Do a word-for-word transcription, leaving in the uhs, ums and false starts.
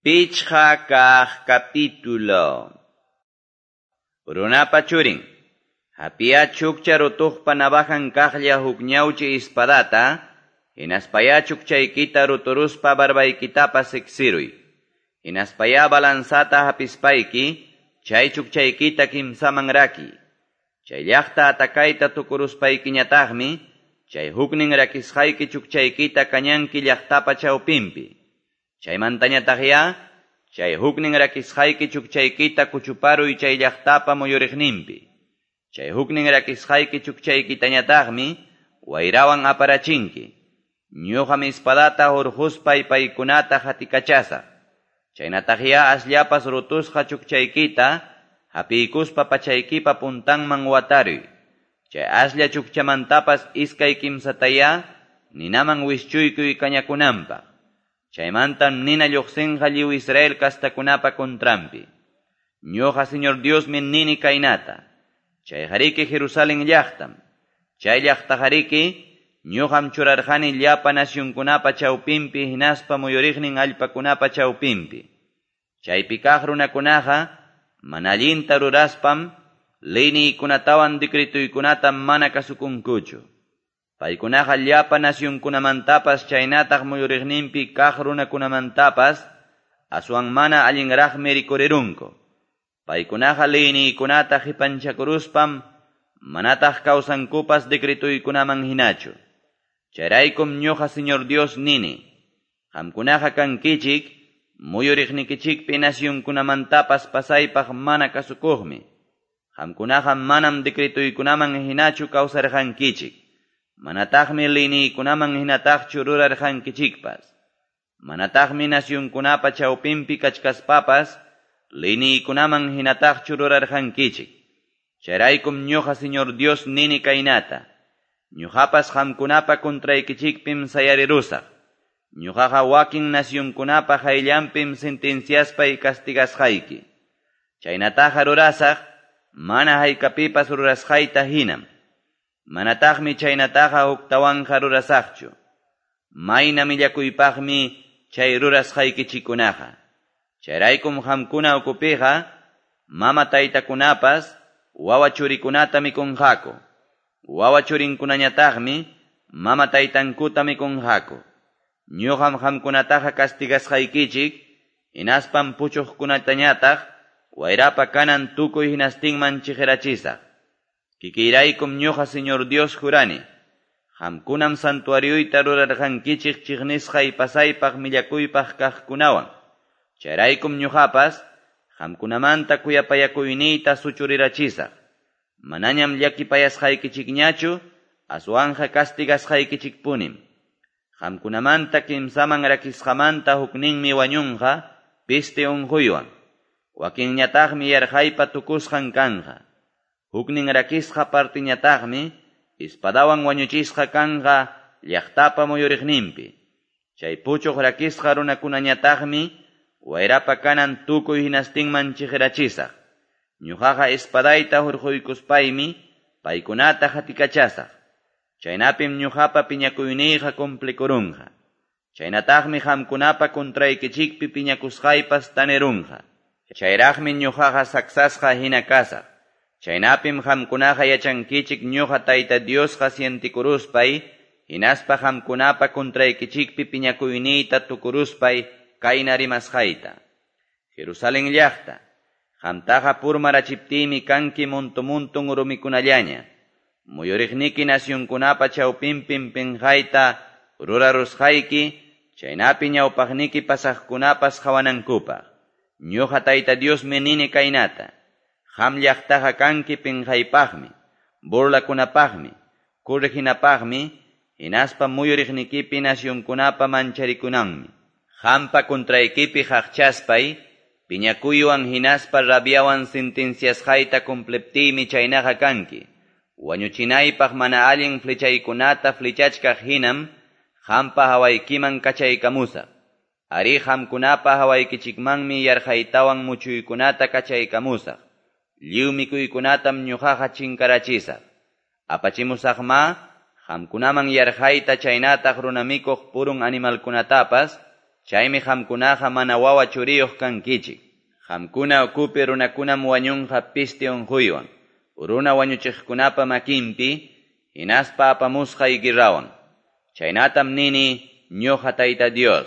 Pichqa kaq capítulo. Runapa churin, hapiya chukcha rutuqpa navajan kaqlla huk ñawchi espadata, hinaspaya chukchaykita ruturuspa barbaykitapas siksiruy. Hinaspaya balanzata hapispayki, chay chukchaykita kimsaman raki. Chay llaqta atakayta tukuruspaykiñataqmi, chay huknin rakisqayki chukchaykita kañanki llaqtapa chawpinpi. Chaymantañataqya, chay huknin rakisqayki chukchaykita kuchuparuy chay llaqtapa muyuriqninpi. Chay huknin rakisqayki chukchaykitañataqmi wayrawan aparachinki. Ñuqam espadata hurquspay paykunata hatikachasaq. Chaynataqya asllapas rutusqa chukchaykita hapiykuspa pachaykipa puntanman wataruy. Chay aslla chukchamantapas iskay kimsataya ninaman wischuykuy kañakunanpaq. Chaymantam nina lluqsinqa lliw Israel kastakunapa contranpi. Ñuqa Señor Diosmi nini kaynata. Chayqariki Jerusalén llaqtam. Chay llaqtaqariki ñuqam churarqani llapa nacionkunapa chawpinpi hinaspa muyuriqnin allpakunapa chawpinpi. Chaypi kaq runakunaqa mana allinta ruraspam leyniykunatawan decretuykunata mana kasukunkuchu. Paykunaqa llapa nacionkunamantapas chaynataq muyuriqninpi kaq runakunamantapas aswan mana allinraqmi rikurirunku. Paykunaqa leyniykunata qipanchakuruspam manataq kawsankupas decretuykunaman hinachu. Chayraykum ñuqa Señor Dios nini, qamkunaqa kankichik muyuriqnikichikpi nacionkunamantapas pasaypaq mana kasukuqmi. Qamkunaqa manam decretuykunaman hinachu kawsarqankichik. Manataqmi leyniykunaman hinataqchu rurarqankichikpas. Manataqmi nacionkunapa chawpinpi kachkaspapas leyniykunaman hinataqchu rurarqankichik. Chayraykum ñuqa Señor Dios nini kaynata. Ñuqapas qamkunapa contraykichikpim sayarirusaq. Ñuqaqa wakin nacionkunapa hayllanpim sentenciaspay castigasqayki. Chaynataqa rurasaq mana haykapipas rurasqayta hinam. Manataqmi chaynataqa huktawanqa rurasaqchu. Mayna millakuypaqmi chay rurasqaykichikkunaqa. Chayraykum qamkuna ukupiqa mama taytakunapas wawa churikunata mikunqaku. Wawa churinkunañataqmi mama taytankuta mikunqaku. Ñuqam qamkunataqa castigasqaykichik, hinaspam puchuqkunatañataq wayrapa kanan tukuy hinastinman chiqirachisaq. Kikiyraykum ñuqa Señor Dios jurani, qamkunam santuarioyta rurarqankichik chiqnisqay pasaypaq millakuypaq kaqkunawan. Chayraykum ñuqapas qamkunamanta kuyapayakuyniyta suchurirachisaq. Manañam llakipayasqaykichikñachu, aswanja castigasqaykichikpunim. Qamkunamanta kimsaman rakisqamanta hukninmi wañunqa peste unquywan. Wakinñataqmi yarqaypa tukusqan kanqa. Huknin rakisqa partiñataqmi espadawan wañuchisqa kanqa llaqtapa muyuriqninpi. Chay puchuq rakisqa runakunañataqmi wayrapa kanan tukuy hinastinman chiqirachisaq. Ñuqaqa espadayta hurquykuspaymi paykunata hatikachasaq. Chaynapim ñuqapa piñakuyniyqa cumplikurunqa. Chaynataqmi qamkunapa contraykichikpi piñakusqaypas tanirunqa. Chayraqmi ñuqaqa saksasqa hina kasaq. Chaynapim qamkunaqa yachankichik ñuqa Tayta Diosqa sientikuruspay, hinaspa qamkunapa contraykichikpi piñakuyniyta tukuruspay kayna rimasqayta. Jerusalén llaqta, qamtaqa purmarachiptiymi kanki muntu-muntun rumikunallaña. Muyuriqniki nacionkunapa chawpinpim pinqayta rurarusqayki, chaynapi ñawpaqniki pasaqkunapas qhawanankupaq. Ñuqa Tayta Diosmi nini kaynata. Qam llaqtaqa kanki pinqaypaqmi, burlakunapaqmi, correginapaqmi, hinaspa muyuriqnikipi nacionkunapa mancharikunanmi. Qampa contraykipi qaqchaspay, piñakuywan hinaspa rabiawan sentenciasqayta cumpliptiymi chaynaqa kanki. Wañuchinaypaq mana allin flechaykunata flechachkaq hinam, qampa hawaykiman kachaykamusaq. Ari qamkunapa hawaykichikmanmi yarqaytawan muchuykunata kachaykamusaq. Lliw mikuykunatam ñuqaqa chinkarachisaq. Apachimusaqma, qamkunaman yarqayta chaynataq runamikuq purun animalkunatapas, Chaymi qamkunaqa mana wawa-churiyoq kankichik. Qamkuna ukupi runakunam wañunqa peste onqoywan, runa wañuchiqkunapa makinpi hinaspa apamusqay guerrawan. Chaynatam nini ñoqa Tayta Dios.